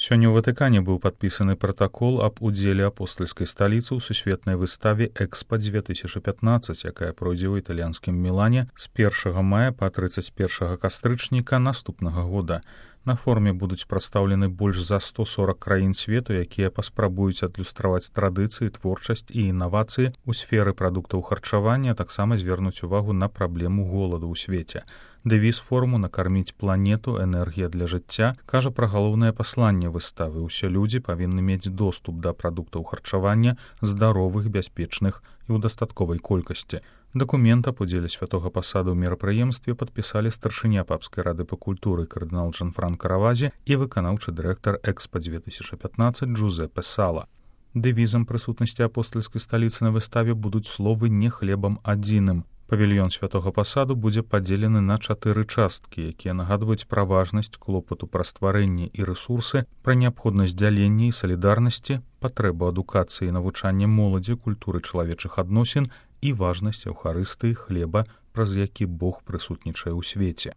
Сёння ў Ватыкане быў падпісаны пратакол аб удзеле апостальскай сталіцы ў сусветнай выставе «Экспа-2015», якая пройдзе ў італьянскім Мілане з 1 мая па 31 кастрычніка наступнага года. На форуме будуць прадстаўлены больш за 140 краін свету, якія паспрабуюць адлюстраваць традыцыі, творчасць і інавацыі ў сферы прадуктаў харчавання, а таксама звернуць увагу на праблему голаду ў свеце. Дэвіз форуму «Накарміць планету. Энергія для жыцця» кажа пра галоўнае пасланне выставы. Усе людзі павінны мець доступ да прадуктаў харчавання здаровых, бяспечных і ў дастатковай колькасці. Дакумент аб удзеле святога пасаду ў мерапрыемстве падпісалі старшыня папскай рады па культуры кардынал Джанфранка Равазі і выканаўчы дырэктар «Экспа-2015» Джузеппе Сала. Дэвізам прысутнасці апостальскай сталіцы на выставе будуць словы «не хлебам адзіным». Павільён святога пасаду будзе падзелены на 4 часткі, якія нагадваюць пра важнасць клопату пра стварэнне і рэсурсы, пра неабходнасць дзялення і салідарнасці, патрэбу адукацыі і навучання моладзі культуры чалавечых адносін і важнасць эўхарыстыі хлеба, праз які Бог прысутнічае ў свеце.